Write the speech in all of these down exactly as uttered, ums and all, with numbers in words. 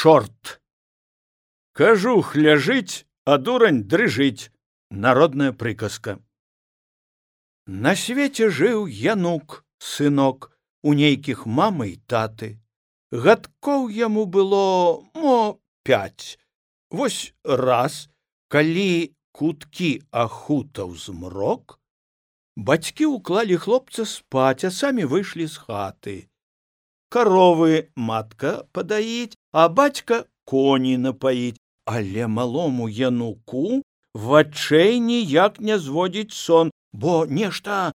чорт. Кажух ляжыць, а дурань дрыжыць. Народная прыказка. На свеце жыў Янук, сынок, у нейкіх мамы і таты. Гадкоў яму было, мо, пяць. Вось раз, калі куткі ахутаў змрок, бацькі ўклалі хлопца спаць, а самі выйшлі з хаты. Каровы матка падаіць, а бацька коні напаіць, але малому Януку вачэй ніяк не зводзіць сон, бо нешта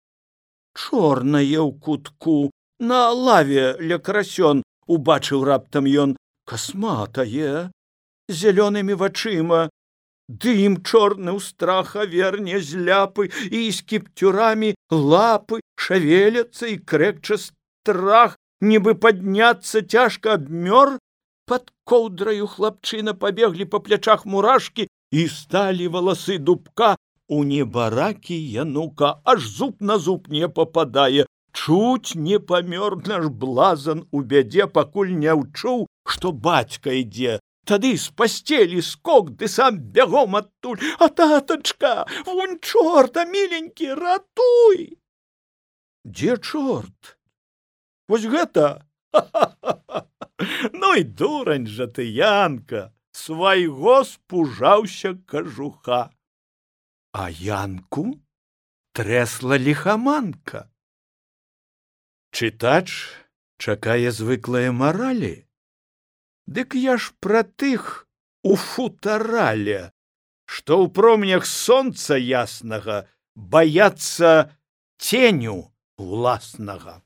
чорнае ў кутку на лаве ля красён убачыў раптам ён, касматае, зялёнымі вачыма, дым чорны ў страха верне з ляпы, і з кіптюрамі лапы шавеляцца, і крэкча страх, нібы падняцца цяжка абмёр. Пад коўдраю хлапчына пабеглі па плячах мурашкі, і сталі валасы дубка. У небаракі Янука аж зуб на зуб не пападае. Чуць не памёр наш блазан у бядзе, пакуль не ўчуў, што бацька ідзе. Тады з пасцелі скок, ды сам бягом адтуль. А татачка, вунь чорта, міленькі, ратуй! Дзе чорт? Вось гэта? Ну і дурань жа ты, Янка, свайго спужаўся кажуха. А Янку трэсла ліхаманка. Чытач чакае звыклае маралі. Дык я ж пра тых у футарале, што ў промнях сонца яснага баяцца ценю уласнага.